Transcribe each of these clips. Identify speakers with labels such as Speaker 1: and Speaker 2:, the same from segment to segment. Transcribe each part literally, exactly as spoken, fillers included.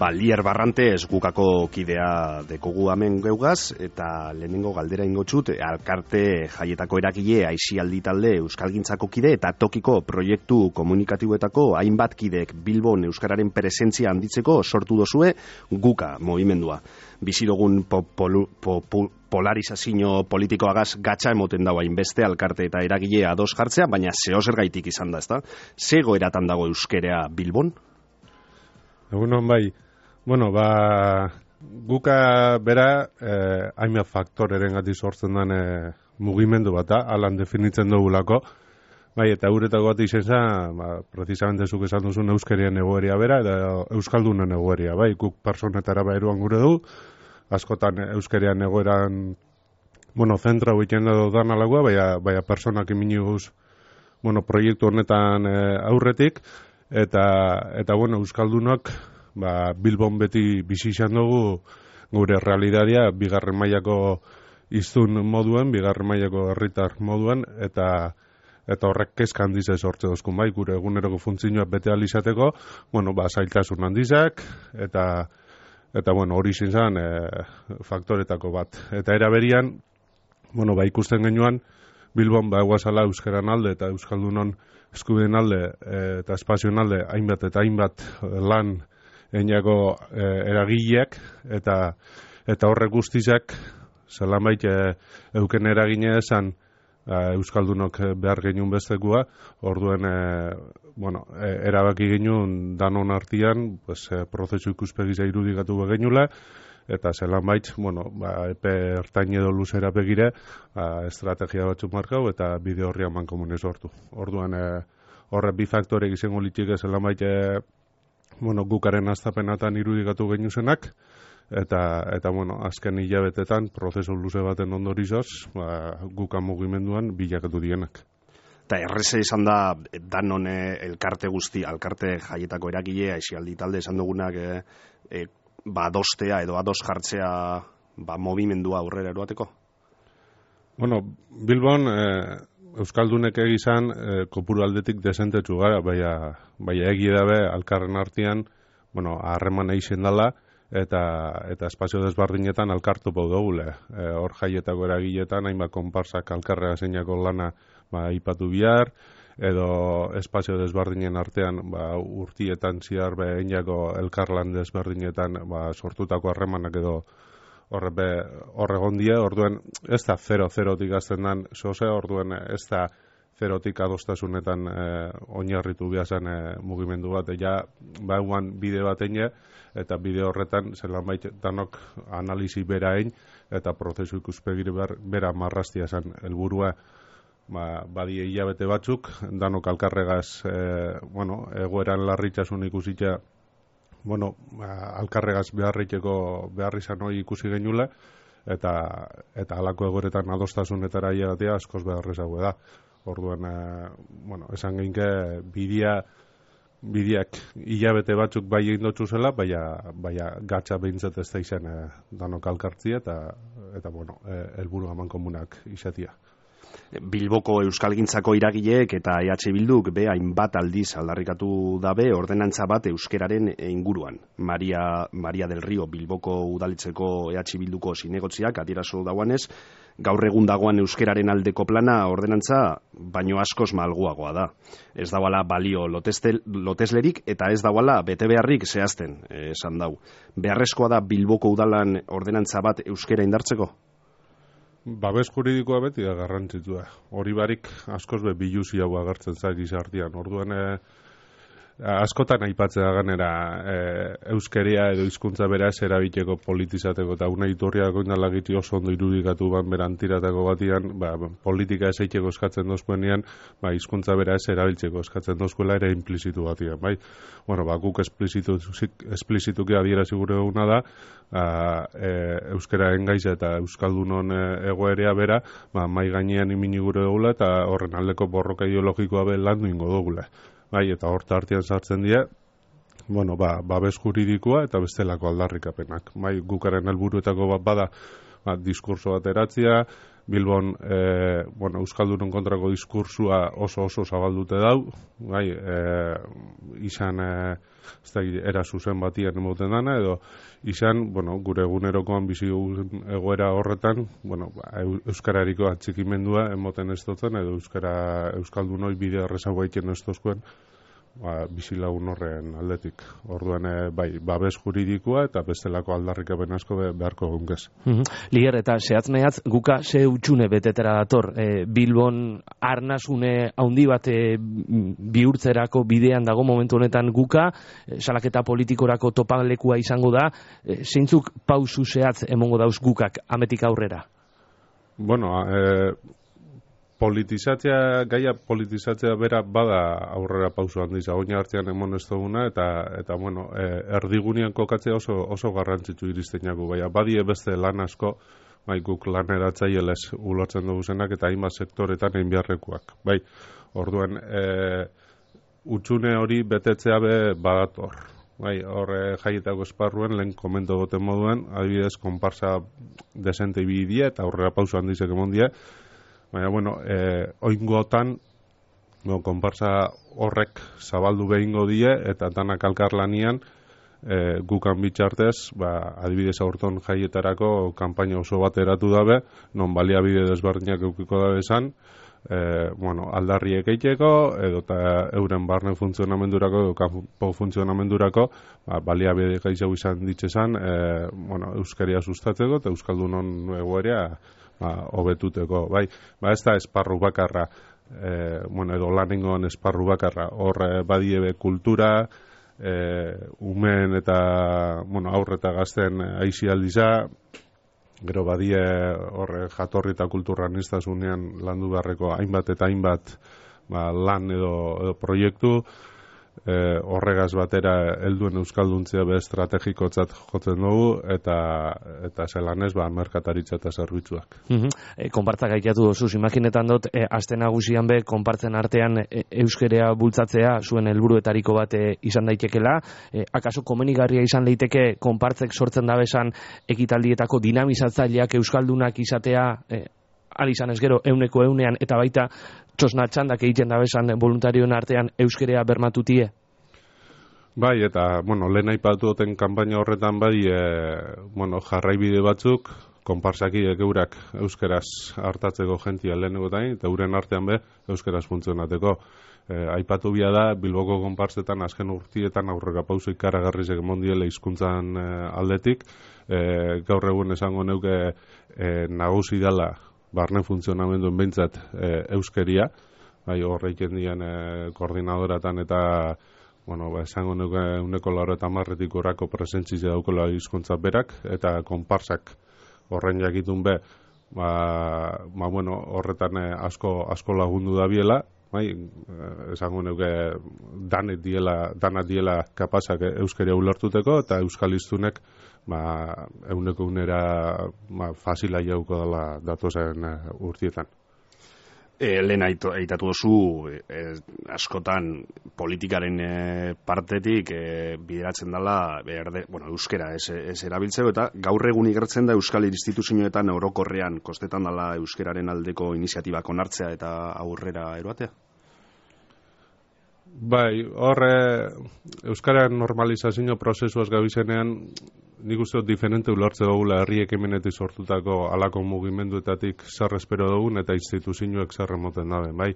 Speaker 1: Ba, Lier Barrante esgukako kidea dekogu hemen geugaz, eta lehenengo galdera ingotxut, alkarte jaietako eragile aisialdi talde euskalgintzako kide eta tokiko proiektu komunikatiboetako hainbat kideek Bilbon euskararen presentzia handitzeko sortu dozue guka movimendua. Bizidogun po, polu, po, po, polarizazio politikoagaz gatsa emoten dago hainbeste alkarte eta eragile ados jartzea, baina zehozer gaitik izan da, ezta? Ze goeratan dago euskerea Bilbon?
Speaker 2: Egunon bai, bueno, ba, guka bera eh, hainbat faktoreren gati sortzen den eh, mugimendu bat da, alan definitzen dugulako, bai, eta euretako bat izen zen, ba, precisamente zuk esan duzun euskerien egoeria bera, eta euskaldunen egoeria, bai, guk personetara bairuan gure du, askotan euskerian egoeran, bueno, zentra huiten edo dan alagua, baina, baina personak iminiguz, bueno, proiektu honetan eh, aurretik, eta, eta bueno, euskaldunok, ba, Bilbon beti bizi izan dugu gure realitatea bigarren mailako hiztun moduen, bigarren mailako herritar moduen, eta eta horrek kezka handize sortze dozkun bai, gure eguneroko funtzioak bete ahal izateko, bueno, ba, zailtasun handizak, eta eta bueno, hori izin zen e, faktoretako bat. Eta era berian, bueno, ba, ikusten genuan, Bilbon ba eguazala euskeran alde eta euskaldunon eskubideen alde e, eta espazioen alde hainbat eta hainbat lan einako e, eragileak eta eta horrek guztizak zelanbait e, euken eragine esan e, euskaldunok behar genuen bestekua, orduen e, bueno, e, erabaki genuen danon artian, pues, e, prozesu ikuspegiza irudikatu begenula, eta zelanbait, bueno, ba, epe ertain edo luzera begire, ba, estrategia batzuk markau eta bide horri haman komunez sortu. Orduan, e, horre bi faktorek izango litxik zelanbait, e, bueno, gukaren astapenatan irudikatu genuzenak, eta, eta bueno, azken hilabetetan, prozesu luze baten ondorizoz, ba, guka mugimenduan bilakatu dienak.
Speaker 1: Eta erreze izan da, danon elkarte guzti, alkarte jaietako eragile, aisialdi talde esan dugunak, e, e, ba, adostea edo ados jartzea ba, movimendua aurrera eroateko? Bueno,
Speaker 2: Bilbon, e, euskaldunek egizan e, kopuru aldetik desentetsu gara, baina, baina egi dabe alkarren artean, bueno, harreman eixen dala, eta, eta espazio desbardinetan alkartu pau dugule. E, hor jaietako eragiletan, hainbat konparsak alkarrea zeinako lana ba, ipatu bihar, edo espazio desberdinen artean ba, urtietan ziar behinako elkarlan desberdinetan ba, sortutako harremanak edo horre gondia, orduen ez da zero-zerotik azten dan soze, orduen ez da zerotik adostasunetan e, oinarritu behazan e, mugimendu bat, ja bauan bide bat eine, eta bide horretan zelanbait danok analizi bera ein, eta prozesu ikuspegire bera marrastia zen helburua. Ba, badie hilabete batzuk, danok alkarregaz, e, bueno, egoeran larritzasun ikusitza, bueno, ba, alkarregaz beharriteko behar izan hori ikusi genula, eta eta halako egoeretan adostasunetara iatea askoz beharrezago da. Orduan, e, bueno, esan geinke bidea, bideak hilabete batzuk bai egin dutzu zela, baina, baina gatsa behintzat ez da izan e, danok alkartzia, eta, eta bueno, helburu e, aman komunak izatia.
Speaker 1: Bilboko euskalgintzako iragileek eta E H Bilduk be hainbat aldiz aldarrikatu dabe ordenantza bat euskeraren inguruan. Maria, Maria del Rio Bilboko udalitzeko E H Bilduko zinegotziak adierazu dauanez, gaur egun dagoan euskeraren aldeko plana ordenantza baino askoz malguagoa da. Ez dauala balio loteslerik eta ez dauala bete beharrik zehazten, esan dau. Beharrezkoa da Bilboko udalan ordenantza bat euskera indartzeko?
Speaker 2: Babes juridikoa beti da garrantzitsua. Hori barik askoz be biluzi hau agertzen zait gizartean. Orduan e, askotan aipatzea ganera e, euskeria edo hizkuntza beraz erabiteko politizateko eta una iturriako indalagiti oso ondo irudikatu ban berantiratako batian, ba, politika esaiteko eskatzen dozkuenean, ba, hizkuntza beraz erabiltzeko eskatzen dozkuela ere implizitu batian, bai? Bueno, ba, guk esplizituki adierazi gure duguna da, a, e, euskera engaiza eta euskaldunon e, egoerea bera, ba, mai gainean imini gure dugula eta horren aldeko borroka ideologikoa be landu ingo dugula. Bai, eta horta artean sartzen dira, bueno, ba, babes juridikoa eta bestelako aldarrikapenak. Bai, gukaren helburuetako bat bada, ba, diskurso bat eratzea, Bilbon e, bueno, Euskaldunon kontrako diskursua oso oso zabaldute dau, bai, e, izan e, ez da, era zuzen batian emoten dana, edo izan, bueno, gure egunerokoan bizi egoera horretan, bueno, euskarariko atxikimendua emoten ez dutzen, edo euskara euskaldunoi bide errezago egiten ez duzkuen, ba, bizilagun horren aldetik. Orduan, e, bai, babes juridikoa eta bestelako aldarrikapen asko be, beharko gunkez.
Speaker 3: Mm-hmm. Liger, eta zehatz mehatz, guka ze utxune betetera dator. E, Bilbon arnasune haundi bat e, bihurtzerako bidean dago momentu honetan guka, e, salaketa politikorako topalekua izango da, e, zeintzuk pausu zehatz emongo dauz gukak ametik aurrera?
Speaker 2: Bueno, e, politizatzea, gaia politizatzea bera bada aurrera pauso handiz, agoina hartzean emon ez duguna, eta, eta bueno, e, erdigunean kokatzea oso, oso garrantzitsu iristen jagu, baina badie beste lan asko, bai, guk lan eratzaieles ulotzen dugu zenak, eta hainbat sektoretan egin beharrekuak, bai, orduan, e, utxune hori betetzea be badator, bai, horre jaietako esparruen, lehen komento goten moduen, adibidez, konparsa desente ibidie, eta aurrera pauso handizek emon die, baina, bueno, e, oingotan, no, konparsa horrek zabaldu behingo die, eta danak alkarlanian, e, gukan bitxartez, ba, adibidez aurton jaietarako kanpaina oso bat eratu dabe, non baliabide desberdinak eukiko dabe esan, e, bueno, aldarriek eiteko, edo eta euren barne funtzionamendurako, edo kanpo funtzionamendurako, ba, baliabide gaitxau izan ditzezan, e, bueno, euskeria sustatzeko, eta euskaldunon egoerea, ba, hobetuteko, bai, ba, ez da esparru bakarra, e, bueno, edo lanengoan esparru bakarra, hor e, badiebe kultura, e, umen eta, bueno, aurre eta gazten aizialdiza, gero badie horre jatorri eta kultura niztasunean landu beharreko hainbat eta hainbat ba, lan edo, edo proiektu, e, horregaz batera helduen euskalduntzea be estrategikotzat jotzen dugu, eta eta zelanez ba, merkataritza eta zerbitzuak.
Speaker 3: Mm-hmm. E, konpartza gaitatu dozuz, imaginetan dut, e, aste nagusian be, konpartzen artean e, euskerea bultzatzea zuen helburuetariko bat e, izan daitekela, e, akaso komenigarria izan leiteke konpartzek sortzen dabesan ekitaldietako dinamizatzaileak euskaldunak izatea, e, al izan ez gero euneko eunean, eta baita txosna txandak egiten dabesan voluntarioen artean euskerea bermatutie?
Speaker 2: Bai, eta, bueno, lehen aipatu duten kanpaina horretan bai, e, bueno, jarraibide batzuk, konparsakiek eurak euskeraz hartatzeko jentia lehenegotain, eta euren artean be euskeraz funtzionateko. E, aipatu bia da, Bilboko konparsetan azken urtietan aurrera pauso ikaragarrizek emondiele hizkuntzan e, aldetik, e, gaur egun esango neuke e, nagusi dela barne funtzionamenduen behintzat e, euskeria, bai, horreiken dian e, koordinadoratan eta, bueno, ba, esango nuke uneko laro eta marretik orako presentzizia daukola hizkuntza berak, eta konparsak horren jakitun be, ba, ba bueno, horretan e, asko, asko lagundu da biela, bai, esango nuke danet diela, danat diela kapasak euskeria ulertuteko, eta euskalistunek ba, euneko unera ba, fasila jauko dela datozen uh, urtietan.
Speaker 1: E, lehen aitatu duzu, e, askotan politikaren e, partetik e, bideratzen dela berde, bueno, euskera ez, ez erabiltzeko, eta gaur egun igertzen da euskal instituzioetan orokorrean kostetan dela euskeraren aldeko iniziatibak onartzea eta aurrera eroatea?
Speaker 2: Bai, horre euskaren normalizazio prozesuaz gabizenean nik uste dut diferente ulertze dugula herri ekimenetik sortutako alako mugimenduetatik zer espero dugun eta instituzioek zer emoten dabe, bai.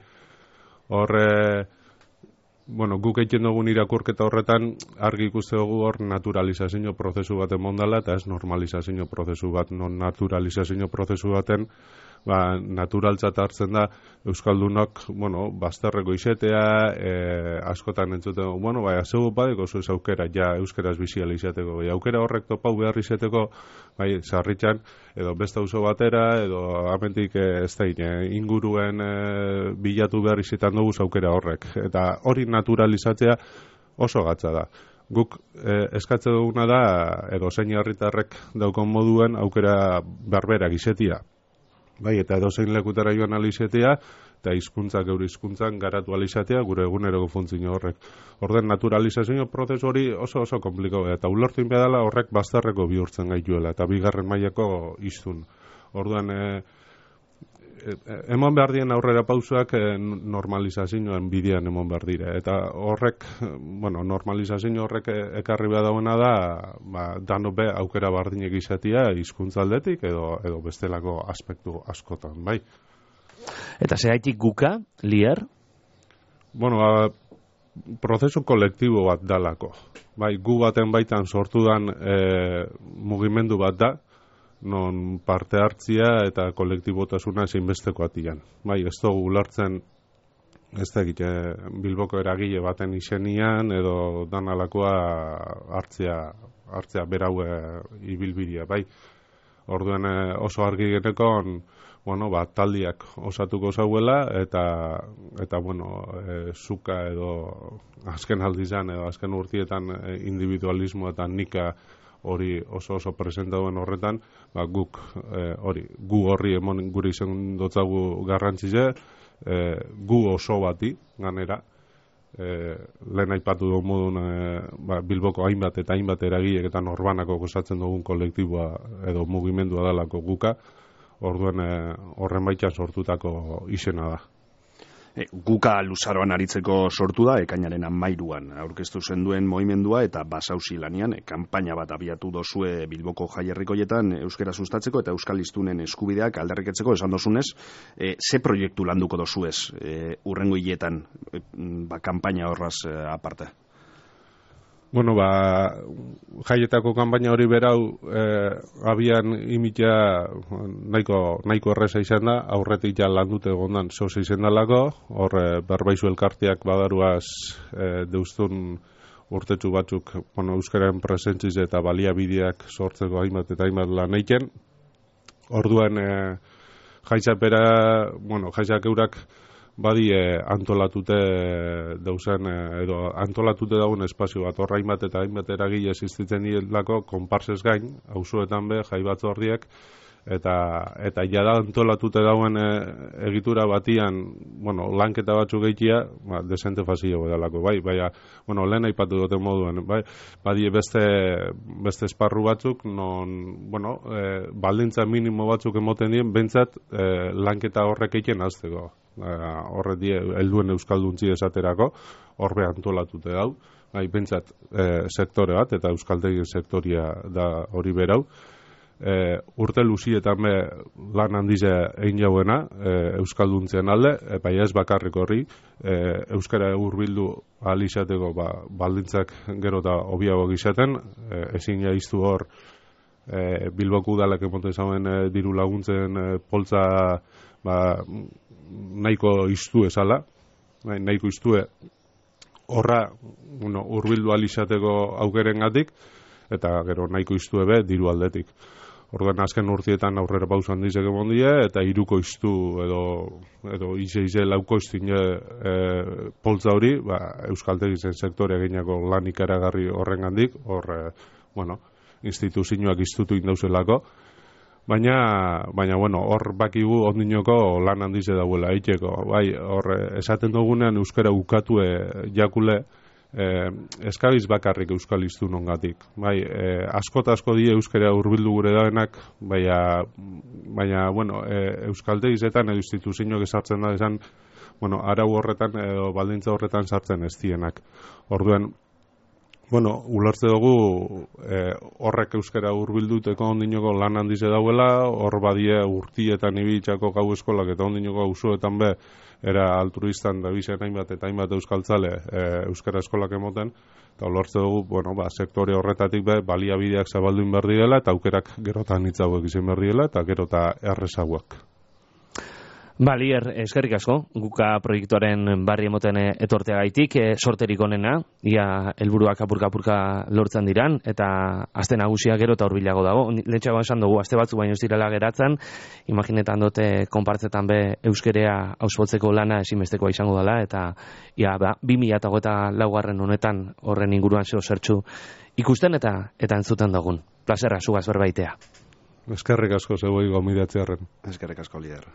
Speaker 2: Horre, bueno, guk egiten dugun irakurketa horretan argi ikuste dugu hor naturalizazio prozesu bat emondala eta ez normalizazio prozesu bat, non naturalizazio prozesu baten ba, naturaltzat hartzen da euskaldunok, bueno, bazterreko izetea, e, askotan entzuten, bueno, bai, zeu badeko zu ez aukera, ja, euskeraz biziala izateko, bai, aukera horrek topau behar izateko, bai, sarritxan, edo beste auzo batera, edo amentik ez da, inguruen e, bilatu behar izetan dugu aukera horrek, eta hori naturalizatzea oso gatza da. Guk eh, eskatze duguna da, edo zein herritarrek daukon moduen aukera berberak izetia. Bai, eta edozein lekutara joan alizatea, eta hizkuntzak euri hizkuntzan garatu alizatea gure eguneroko funtzio horrek. Orden naturalizazio prozesu hori oso oso komplikau, eta ulertu inbedala horrek bazterreko bihurtzen gaituela, eta bigarren mailako hiztun. Orduan, e, emon behar dien aurrera pausoak eh, normalizazioen bidean emon behar dire. Eta horrek, bueno, normalizazio horrek ekarri behar dauena da, ba, dano be aukera bardinek izatea hizkuntzaldetik edo, edo bestelako aspektu askotan, bai.
Speaker 3: Eta zehaitik guka, Lier?
Speaker 2: Bueno, ba, prozesu kolektibo bat dalako. Bai, gu baten baitan sortu dan e, mugimendu bat da, non parte hartzia eta kolektibotasuna zeinbesteko atian. Bai, ez dugu ulertzen, ez da egite, Bilboko eragile baten izenian, edo danalakoa hartzea, hartzea berau e, ibilbidia, bai. Orduen e, oso argi genekon, bueno, ba, taldiak osatuko zauela, eta, eta bueno, e, zuka edo azken aldizan, edo azken urtietan e, individualismo eta nika hori oso oso presenta duen horretan, ba, guk e, hori, gu horri emon guri izen dotzagu garrantzize, e, gu oso bati, ganera, e, lehen aipatu dugu modun e, ba, Bilboko hainbat eta hainbat eragilek eta norbanako gozatzen dugun kolektiboa edo mugimendua dalako guka, orduen horren baitan sortutako izena da.
Speaker 1: E, guka luzaroan aritzeko sortu da, ekainaren amairuan aurkeztu zenduen mogimendua eta basauzi lanian, e, kanpaina bat abiatu dozue Bilboko jaierrikoietan euskera sustatzeko eta euskal hiztunen eskubideak aldarriketzeko, esan dozunez, e, ze proiektu landuko dozuez e, urrengo hiletan, e, ba, kanpaina horraz e, aparte?
Speaker 2: Bueno, ba, jaietako kanpaina hori berau eh, abian imitea nahiko, nahiko erreza izan da, aurretik ja landute gondan soze izan dalako, hor eh, berbaizu elkarteak badaruaz eh, deustun urtetxu batzuk, bueno, euskaren presentziz eta baliabideak sortzeko hainbat eta hainbat lan eiken. Orduan eh, jaizapera, bueno, jaizak eurak badi eh, antolatute dauzen, eh, edo antolatute daun espazio bat, horra hainbat eta hainbat eragile existitzen dielako, konparsez gain, auzoetan be, jai batzordiak, eta, eta jada antolatute dauen eh, egitura batian, bueno, lanketa batzuk gehitia, ba, desente fazio bedalako, bai, baina, bueno, lehen aipatu duten moduen, bai, badi beste, beste esparru batzuk, non, bueno, eh, baldintza minimo batzuk emoten dien, bentsat, eh, lanketa horrek egiten azteko. Uh, horre die helduen euskalduntzi esaterako horbe antolatute dau, bai, bentsat eh, sektore bat eta euskaldegi sektoria da hori berau. Eh, urte luzietan be lan handize egin jauena eh, euskalduntzean alde, e, bai ez bakarrik horri, eh, euskara hurbildu ahal izateko ba, baldintzak gero eta hobiago izaten, eh, ezin jaiztu hor eh, Bilboko udalak emoten zauen eh, diru laguntzen eh, poltza ba, nahiko iztu ezala, nahiko iztue horra, bueno, urbildu alizateko aukerengatik, eta gero nahiko iztue be diru aldetik. Orduan azken urtietan aurrera pausan dizek emon die, eta iruko iztu edo, edo ize ize lauko iztine e, poltza hori, ba, euskaltegizen sektorea ginako lan ikaragarri horrengandik, hor, e, bueno, instituzioak iztutu indauzelako, Baina, baina, bueno, hor bakigu ondinoko lan handize dauela eiteko. Bai, hor esaten dugunean euskara ukatue jakule, eh, eskabiz bakarrik euskal iztun ongatik. Bai, eh, askot asko die euskara hurbildu gure daenak, baina, baina bueno, eh, euskalde izetan edo instituzioak esartzen da esan, bueno, arau horretan edo baldintza horretan sartzen ez dienak. Orduen, bueno, ulertze dugu eh, horrek euskara hurbilduteko ondinoko lan handize dauela, hor badie urtietan ibiltzako gau eskolak eta ondinoko auzoetan be era altruistan da bizen hainbat eta hainbat euskaltzale eh, euskara eskolak emoten, eta ulertze dugu, bueno, ba, sektore horretatik be baliabideak zabalduin behar direla eta aukerak gerotan hitzauek izan behar direla eta gerota errezauak.
Speaker 3: Ba, Lier, eskerrik asko, guka proiektuaren barri emoten etorteagaitik, e, sorterik onena, ia helburuak apurka-apurka lortzen diran, eta aste nagusia gero eta hurbilago dago. Lehentxeago esan dugu, aste batzu baino ez direla geratzen, imaginetan dute konpartzetan be euskerea auspotzeko lana ezinbestekoa izango dela, eta ia, ba, bi mila hogeita laugarren honetan horren inguruan zeo zertxu ikusten eta eta entzuten dugun. Plazerra, zugaz berbaitea.
Speaker 2: Eskerrik asko zeuei gomidatzearen.
Speaker 1: Eskerrik asko, Lier.